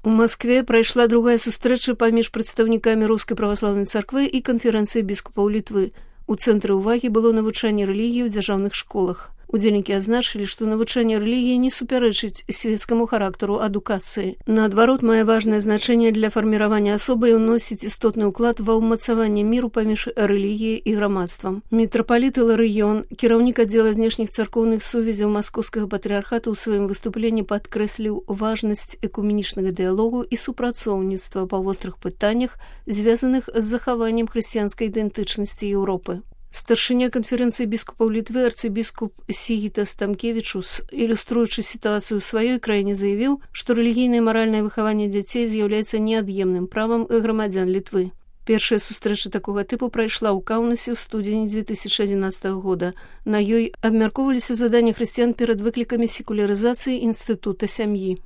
У Маскве прайшла другая сустрэча паміж прадстаўнікамі Рускай праваслаўнай царквы і канферэнцыі біскупаў Літвы. У цэнтры ўвагі было навучанне рэлігіі ў дзяржаўных школах. Удзельнікі азначылі, што навучанне рэлігіі не супярэчыць свецкаму характару адукацыі. Наадварот, мае важнае значэнне для фарміравання асобы і ўносіць істотны ўклад ва ўмацаванне міру паміж рэлігіяй і грамадствам. Мітрапаліт Іларыён, кіраўнік аддзела знешніх царкоўных сувязяў маскоўскага патрыархату, ў сваім выступленні падкрэсліў важнасць экуменічнага дыялогу і супрацоўніцтва па вострых пытаннях, звязаных з захаваннем хрысціянскай ідэнтычнасці Еўропы. Старшыня канферэнцыі біскупаў Літвы арцыбіскуп Сігітас Тамкевічус, ілюструючы сітуацыю ў сваёй краіне, заявіў, што рэлігійнае і маральнае выхаванне дзяцей з'яўляецца неад'емным правам грамадзян Літвы. Першая сустрэча такога тыпу прайшла ў Каўнасе ў студзені 2011 года. На ёй абмяркоўваліся заданні хрысціян перад выклікамі секулярызацыі інстытута сям'і.